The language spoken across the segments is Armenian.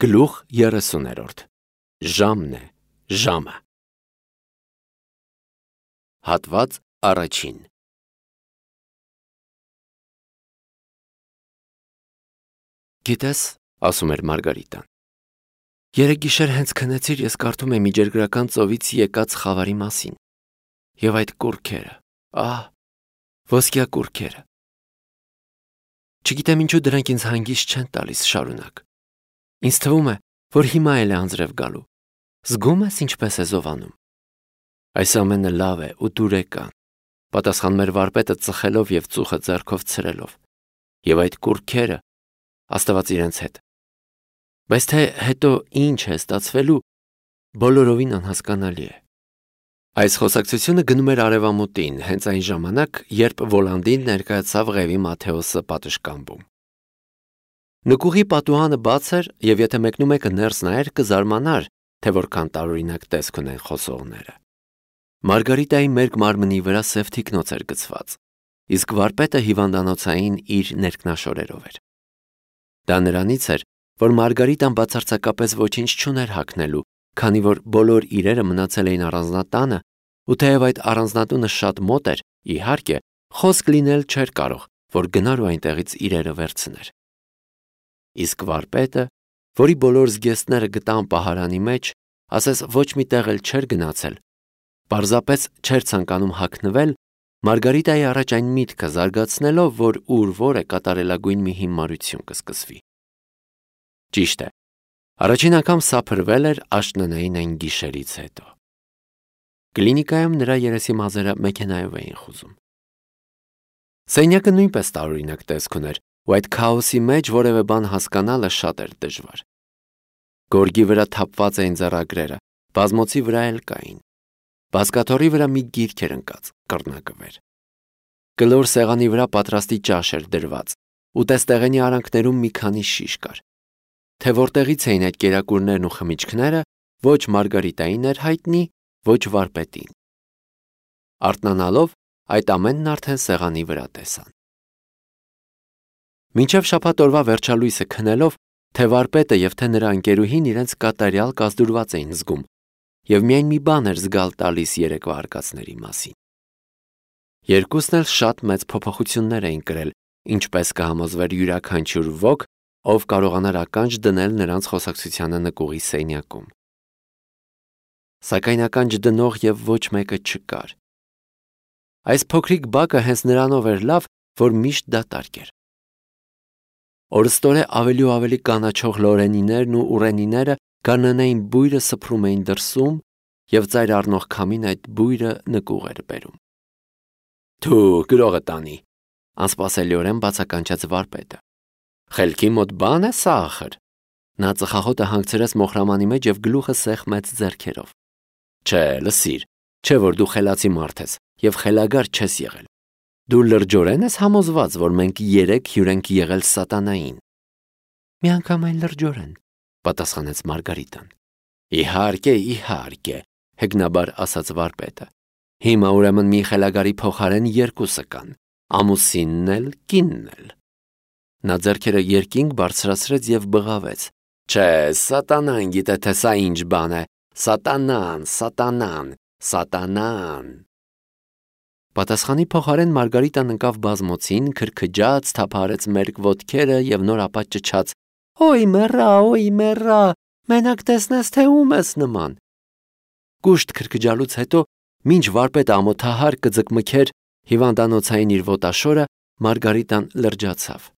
Գլուխ 30 Ժամն է, ժամը։ Հատված առաջին։ Գիտես, ասում էր Մարգարիտան, երեկ գիշեր հենց քնեցիր, ես կարդում եմ Միջերգրական ծովից եկած խավարի մասին։ Եվ այդ կուռքերը, ոսկյա կուռքերը։ Չգիտեմ ինչու դրանք ինձ հանգիստ չեն տալիս շարունակ։ Ինձ թվում է, որ հիմա էլ է անձրև գալու։ Զգում ես ինչպես է զովանում։ Այս ամենը լավ է ու դուրեկան, պատասխան մեր վարպետը ծխելով և ծուխը ձեռքով ցրելով։ Եվ այդ կուռքերը, Աստված իրենց հետ։ Բայց թե հետո ինչ է ստացվելու, բոլորովին անհասկանալի է։ Այս խոսակցությունը գնում էր արևամուտին, հենց այն ժամանակ, երբ Վոլանդին ներկայացավ Ղևի Մաթեոսը պատշգամբում։ Նկուղի պատուհանը բաց էր, և եթե մեկնումեկը ներս նայեր, կզարմանար, թե որքան տարօրինակ տեսք ունեն խոսողները։ Մարգարիտայի մերկ մարմնի վրա սև թիկնոց էր գցված, իսկ վարպետը հիվանդանոցային իր ներքնաշորերով էր։ Դա նրանից էր, որ Մարգարիտան բացարձակապես ոչինչ չուներ հագնելու, քանի որ բոլոր իրերը մնացել էին առանձնատանը, ու թեև այդ առանձնատունը շատ մոտ էր, իհարկե, խոսք լինել չէր կարող, որ գնար ու այնտեղից իրերը վերցներ։ Իսկ վարպետը, որի բոլոր զգեստները գտան պահարանի մեջ, ասես ոչ մի տեղ էլ չէր գնացել, պարզապես չէր ցանկանում հագնվել, Մարգարիտայի առաջ այն միտքը զարգացնելով, որ ուր որ է կատարելագույն մի հիմարություն կսկսվի։ Ճիշտ է, առաջին անգամ սափրվել էր աշնանային այն գիշերից հետո։ Կլինիկայում նրա երեսի մազերը մեքենայով էին խուզում։ Սենյակը նույնպես տարօրինակ տեսք ուներ, ու այդ քաոսի մեջ որևէ բան հասկանալը շատ էր դժվար։ Գորգի վրա թափված էին ձեռագրերը, բազմոցի վրա էլ կային։ Բազկաթոռի վրա մի գիրք էր ընկած, կռնակվեր։ Կլոր սեղանի վրա պատրաստի ճաշ էր դրված, ու տեստեղենի արանքներում մի քանի շիշ կար։ Թե որտեղից էին այդ կերակուրներն ու խմիչքները, ոչ Մարգարիտային էր հայտնի, ոչ վարպետին։ Արթնանալով, այդ ամենն արդեն սեղանի վրա տեսան։ Մինչև շաբաթ օրվա վերջալույսը քնելով, թե վարպետը և թե նրա ընկերուհին իրենց կատարյալ կազդուրված էին զգում, և միայն մի բան էր զգալ տալիս երեկվա արկածների մասին։ Երկուսն էլ շատ մեծ փոփոխություններ էին կրել, ինչպես կհամոզվեր յուրաքանչյուր ոք, ով կարողանար ականջ դնել նրանց խոսակցությանը նկուղի սենյակում։ Սակայն ականջ դնող և ոչ մեկը չկար։ Այս փոքրիկ բակը հենց նրանով էր լավ, որ միշտ դատարկ էր։ Օրըստօրե ավելի ու ավելի կանաչող լորենիներն ու ուռենիները գարնանային բույրը սփռում էին դրսում, և ծայր առնող քամին այդ բույրը նկուղ էր բերում։ Թու, գրողը տանի, անսպասելիորեն բացականչեց վարպետը։ Խելքի մոտ բան է սա ախր։ Նա ծխախոտը հանգցրեց մոխրամանի մեջ և գլուխը սեղմեց ձեռքերով։ Չէ, լսիր, չէ որ դու խելացի մարդ ես և խելագար չես եղել։ Դու լրջորեն ես համոզված, որ մենք երեք հյուր ենք եղել սատանային։ Միանգամայն լրջորեն, պատասխանեց Մարգարիտան։ Իհարկե, իհարկե, հեգնաբար ասաց վարպետը։ Հիմա ուրեմն մի խելագարի փոխարեն երկուսը կան, ամուսինն էլ, կինն էլ։ Նա ձեռքերը երկինք բարձրացրեց և բղավեց։ Չէ, սատանան գիտե թե սա ինչ բան է, սատանան, սատանան, սատանան։ Պատասխանի փոխարեն Մարգարիտան ընկավ բազմոցին, քրքջաց, թափահարեց մերկ ոտքերը և նոր ապա ճչաց. Օй մեռա, մենակ տեսնես թե ում ես նման։ Կուշտ քրքջալուց հետո, մինչ վարպետը ամոթահար կձկմքեր հիվանդանոցային իր ոտաշորը, Մարգարիտան լրջացավ։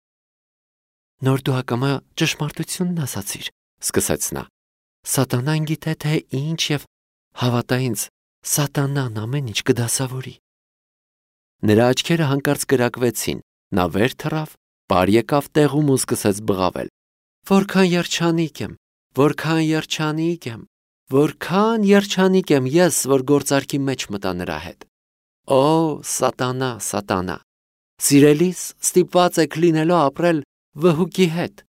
Նոր դու ակամա ճշմարտությունն ասացիր, սկսեց նա։ Սատանան գիտե թե ինչ և հավատա ինձ, սատանան ամեն ինչ կդասավորի։ Նրա աչքերը հանկարծ կրակվեցին, նա վեր թռավ, պար եկավ տեղում ու սկսեց բղավել։ Որքան երջանիկ եմ, որքան երջանիկ եմ, որքան երջանիկ եմ ես, որ գործարքի մեջ մտա նրա հետ։ Օ, սատանա, սատանա, սիրելիս ստիպված եք լինելու ապրել վհուկի հետ։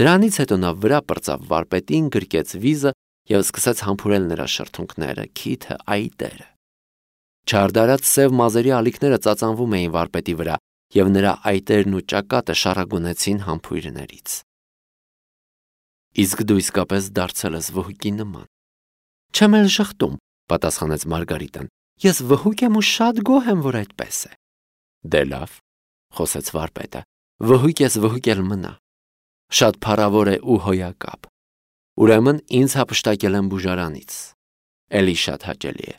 Դրանից հետո նա վրա պրծավ վարպետին, գրկեց վիզը և սկսեց համբուրել նրա շրթունքները, քիթը, այտերը։ Չարդարած սև մազերի ալիքները ծածանվում էին վարպետի վրա, և նրա այտերն ու ճակատը շառագունեցին համբույրներից։ Իսկ դու իսկապես դարձել ես վհուկի նման։ Չեմ էլ շղթում, պատասխանեց Մարգարիտան։ Ես վհուկ եմ ու շատ գոհ եմ, որ այդպես է։ Դե լավ, խոսեց վարպետը, վհուկ ես, վհուկ էլ մնա։ Շատ փառավոր է ու հոյակապ։ Ուրեմն ինձ հափշտակել են բուժարանից։ Էլի շատ հաճելի է։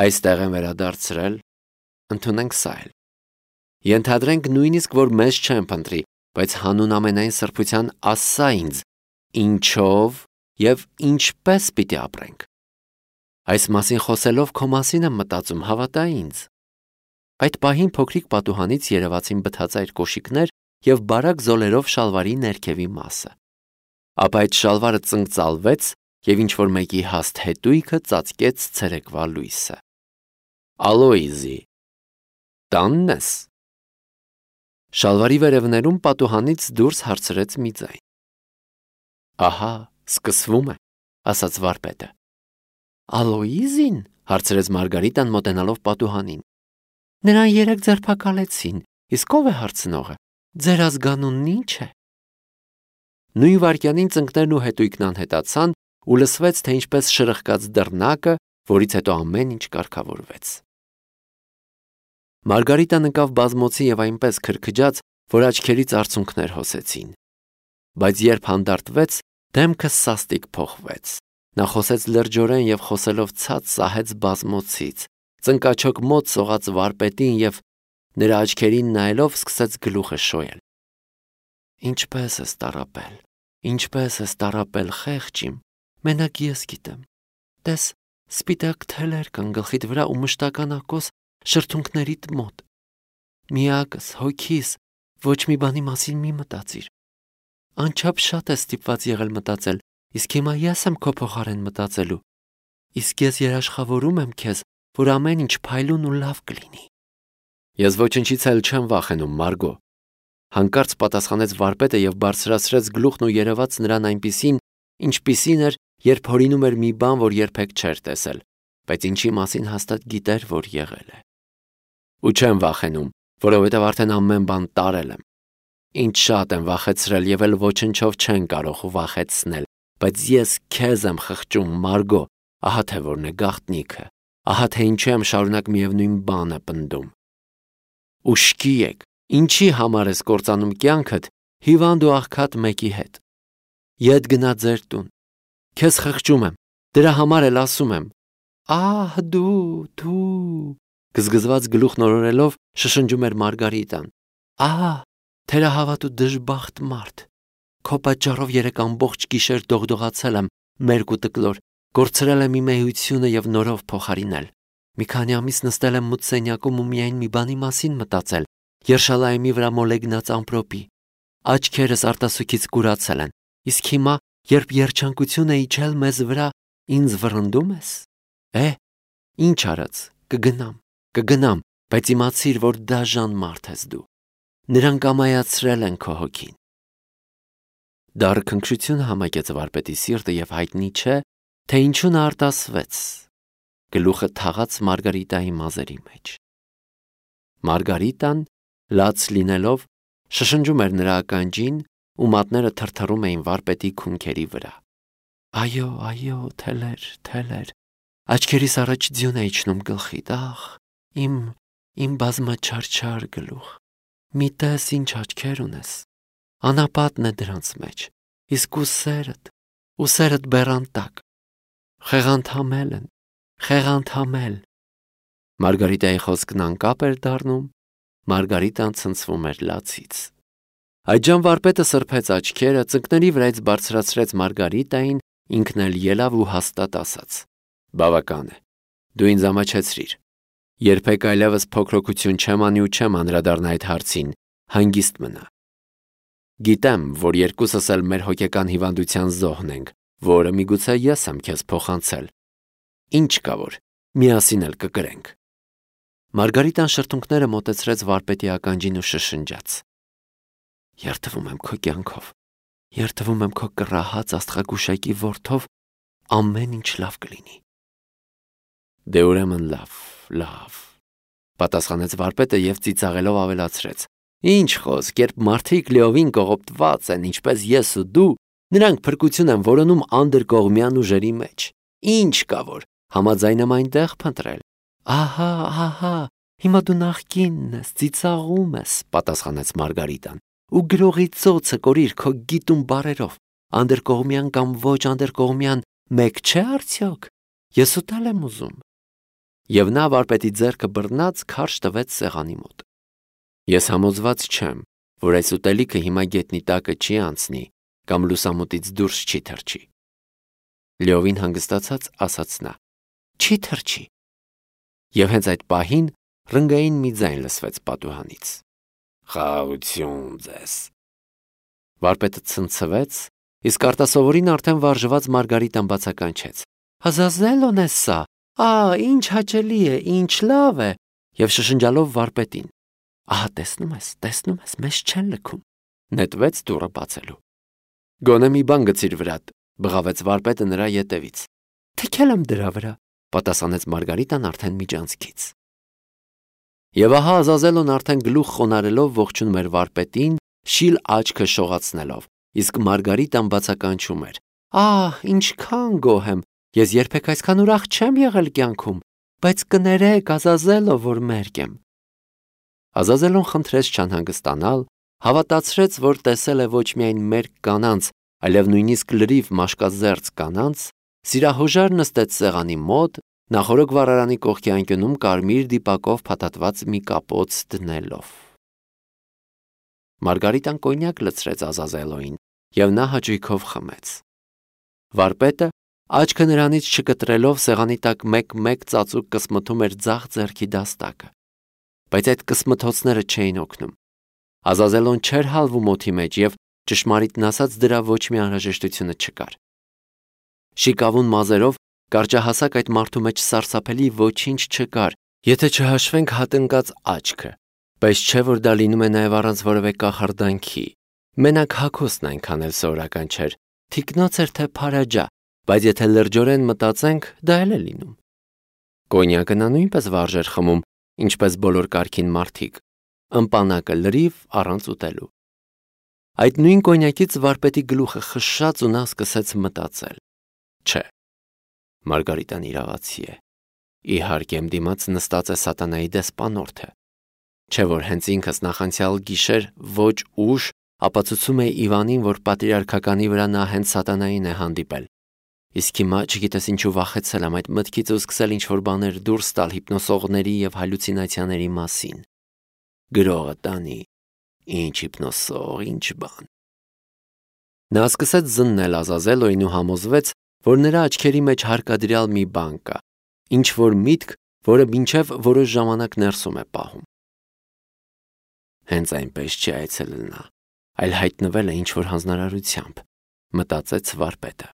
Այստեղ են վերադարձրել, ընդունենք սա էլ։ Ենթադրենք նույնիսկ, որ մեզ չեն փնտրի, բայց հանուն ամենայն սրբության ասա ինձ, ինչով և ինչպես պիտի ապրենք։ Այս մասին խոսելով քո մասին եմ մտածում, հավատա ինձ։ Այդ պահին փոքրիկ պատուհանից երևացին բթածայր կոշիկներ և բարակ զոլերով շալվարի ներքևի մասը։ Ապա այդ շալվարը ծնկծալվեց և ինչ-որ մեկի հաստ հետույքը ծածկեց ցերեկվա լույսը։ Ալոիզի, տանն ես։ Շալվարի վերևներում պատուհանից դուրս հարցրեց մի ձայն։ Ահա, սկսվում է, ասաց վարպետը։ Ալոիզին, հարցրեց Մարգարիտան մոտենալով պատուհանին։ Նրան երեկ ձերբակալեցին, իսկ ով է հարցնողը։ Ձեր ազգանունն ինչ է։ Նույն վայրկյանին ծնկներն ու հետույքն անհետացան ու լսվեց, թե ինչպես շրխկաց դռնակը, որից հետո ամեն ինչ կարգավորվեց։ Մարգարիտան ընկավ բազմոցի և այնպես քրքջաց, որ աչքերից արցունքներ հոսեցին։ Բայց երբ հանդարտվեց, դեմքը սաստիկ փոխվեց։ Նա խոսեց լրջորեն և խոսելով ցած սահեց բազմոցից, ծնկաչոք մոտ սողաց վարպետին և նրա աչքերին նայելով սկսեց գլուխը շոյել։ Ինչպես ես տառապել, ինչպես ես տառապել, խեղճ իմ, մենակ ես գիտեմ։ Տես, սպիտակ թելեր կան գլխիդ վրա ու մշտականակոս շրթունքներիդ մոտ։ Միակս, հոգիս, ոչ մի բանի մասին մի մտածիր։ Անչափ շատ ես ստիպված եղել մտածել, իսկ հիմա ես եմ քո փոխարեն մտածելու։ Իսկ ես երաշխավորում եմ քեզ, որ ամեն ինչ փայլուն ու լավ կլինի։ Ես ոչնչից էլ չեմ վախենում, Մարգո, հանկարծ պատասխանեց վարպետը և բարձրացրեց գլուխն ու երևաց նրան այնպիսին, ինչպիսին էր, երբ հորինում էր մի բան, որ երբեք չէր տեսել, բայց ինչի մասին հաստատ գիտեր, որ եղել է։ Ու չեմ վախենում, որովհետև արդեն ամեն բան տարել եմ։ Ինչ շատ եմ վախեցրել և էլ ոչնչով չեն կարող վախեցնել, բայց ես քեզ եմ խղճում, Մարգո, ահա թե որն է գաղտնիքը, ահա թե ինչու եմ շարունակ միևնույն բանը պնդում։ Ուշքի եք, ինչի համար ես կործանում կյանքդ հիվանդ ու աղքատ մեկի հետ։ Ետ գնա ձեր տուն։ Քեզ խղճում եմ, դրա համար էլ ասում եմ։ Ահ, դու, գզգզված գլուխ նորորելով շշնջում էր Մարգարիտան։ Ահա, թերահավատ ու դժբախտ մարդ։ Քո պատճառով երեք ամբողջ գիշեր դողդողացել եմ, մերկ ու տկլոր, կորցրել եմ իմ էությունը և նորով փոխարինել։ Մի քանի ամիս նստել եմ մութ սենյակում ու միայն մի բանի մասին մտածել, Երշալայեմի վրա մոլեգնած ամպրոպի։ Աչքերս արտասուքից կուրացել են, իսկ հիմա, երբ երջանկություն է իջել մեզ վրա, ինձ վռնդում ես։ Ինչ արած, կգնամ, բայց իմացիր, որ դաժան մարդ ես դու։ Նրանք ամայացրել են քո հոգին։ Դառը քնքշությունը համակեց վարպետի սիրտը և հայտնի չէ, թե ինչու նա արտասվեց։ Գլուխը թաղաց Մարգարիտայի մազերի մեջ։ Մարգարիտան, լաց լինելով, շշնջում էր նրա ականջին ու մատները թրթռում էին վարպետի քունքերի վրա։ Այո, թելեր, աչքերիս առաջ ձյուն է իջնում գլխիդ, ախ, իմ բազմաչարչար գլուխ, մի տես ինչ աչքեր ունես, անապատն է դրանց մեջ, իսկ ուսերդ բեռան տակ, խեղանթամել։ Մարգարիտայի խոսքն անկապ էր դառնում, Մարգարիտան ցնցվում էր լացից։ Այդժամ վարպետը սրբեց աչքերը, ծնկների վրայից բարձրացրեց Մարգարիտային, ինքն էլ ելավ ու հաստատ ասաց. Բավական է, դու ինձ ամաչեցրիր։ Երբեք այլևս փոքրոքություն չեմ անի ու չեմ անդրադառնա այդ հարցին, հանգիստ մնա։ Գիտեմ, որ երկուսս էլ մեր հոգեկան հիվանդության զոհն ենք, որը միգուցե ես եմ քեզ փոխանցել։ Ինչ կա որ, միասին էլ կկրենք։ Մարգարիտան շրթունքները մոտեցրեց վարպետի ականջին ու շշնջաց. Երդվում եմ քո կյանքով, երդվում եմ քո կռահած աստղագուշակի որդով, ամեն ինչ լավ կլինի։ Դե ուրեմն լավ, պատասխանեց վարպետը և ծիծաղելով ավելացրեց. Ինչ խոսք, երբ մարդիկ լիովին կողոպտված են, ինչպես ես ու դու, Նրանք փրկություն են որոնում անդրկողմյան ուժերի մեջ։ Ինչ կա որ, համաձայն եմ այնտեղ փնտրել։ Ահա, հիմա դու նախկինն ես, ծիծաղում ես, պատասխանեց Մարգարիտան, ու գրողի ծոցը կորիր քո գիտուն բարերով։ Անդրկողմյան կամ ոչ անդրկողմյան մեկ չէ արդյոք։ Ես ուտել եմ ուզում։ Եվ նա վարպետի ձեռքը բռնած քարշ տվեց սեղանի մոտ։ Ես համոզված չեմ, որ այս ուտելիքը հիմա գետնի տակը չի անցնի կամ լուսամուտից դուրս չի թռչի։ Լիովին հանգստացած ասաց նա. Չի թռչի։ Եվ հենց այդ պահին ռնգային մի ձայն լսվեց պատուհանից։ Խաղաղություն ձեզ։ Վարպետը ցնցվեց, իսկ արտասովորին արդեն վարժված Մարգարիտան բացականչեց. Ազազելոն է սա։ Ինչ հաճելի է, ինչ լավ է։ Եվ շշնջալով վարպետին. Ահա տեսնում ես, մեզ չեն լքում։ Նետվեց դուռը բացելու։ Գոնե մի բան գցիր վրատ, բղավեց վարպետը նրա ետևից։ Թքել եմ դրա վրա, պատասխանեց Մարգարիտան արդեն միջանցքից։ Եվ ահա Ազազելոն արդեն գլուխ խոնարելով ողջունում էր վարպետին, շիլ աչքը շողացնելով, իսկ Մարգարիտան բացականչում էր. ինչքան գոհ եմ, ես երբեք այսքան ուրախ չեմ եղել կյանքում, բայց կներեք, Ազազելո, որ մերկ եմ։ Ազազելոն խնդրեց չանհանգստանալ, հավատացրեց, որ տեսել է ոչ միայն մերկ կանանց, այլև նույնիսկ լրիվ մաշկազերծ կանանց, սիրահոժար նստեց սեղանի մոտ, նախորոք վառարանի կողքի անկյունում կարմիր դիպակով փաթաթված մի կապոց դնելով։ Մարգարիտան կոնյակ լցրեց Ազազելոին, և նա հաճույքով խմեց։ Վարպետը, աչքը նրանից չկտրելով, սեղանի տակ մեկ-մեկ ծածուկ կսմթում էր ձախ ձեռքի դաստակը։ Բայց այդ կսմթոցները չէին օգնում։ Ազազելոն չէր հալվում օդի մեջ և, ճշմարիտն ասած, դրա ոչ մի անհրաժեշտությունը չկար։ Շիկավուն մազերով կարճահասակ այդ մարդու մեջ սարսափելի ոչինչ չկար, եթե չհաշվենք հատնկած աչքը, բայց չէ որ դա լինում է նաև առանց որևէ կախարդանքի։ Մենակ հագուստն այնքան էլ սովորական չէր, թիկնոց էր թե փարաջա, բայց եթե լրջորեն մտածենք, դա էլ է լինում։ Կոնյակը նա նույնպես վարժ էր խմում, ինչպես բոլոր կարգին մարդիկ, ըմպանակը լրիվ առանց ուտելու։ Այդ նույն կոնյակից վարպետի գլուխը խշշաց ու նա սկսեց մտածել. Չէ, Մարգարիտան իրավացի է։ Իհարկե իմ դիմաց նստած է սատանայի դեսպանորդը։ Չէ որ հենց ինքս նախանցյալ գիշեր ոչ ուշ ապացուցում է Իվանին, որ պատրիարքականի վրա նա հենց սատանային է հանդիպել։ Իսկ հիմա չգիտես ինչու վախեցել եմ այդ մտքից ու սկսել ինչ-որ բաներ դուրս տալ հիպնոսողների և հալյուցինացիաների մասին։ Գրողը տանի, ինչ հիպնոսող, ինչ բան։ Նա սկսեց զննել Ազազելոյին ու համոզվեց, որ նրա աչքերի մեջ հարկադրյալ մի բան կա, ինչ-որ միտք, որը մինչև որոշ ժամանակ ներսում է պահում։ Հենց այնպես չի այցելել նա, այլ հայտնվել է ինչ-որ հանձնարարությամբ, մտածեց վարպետը։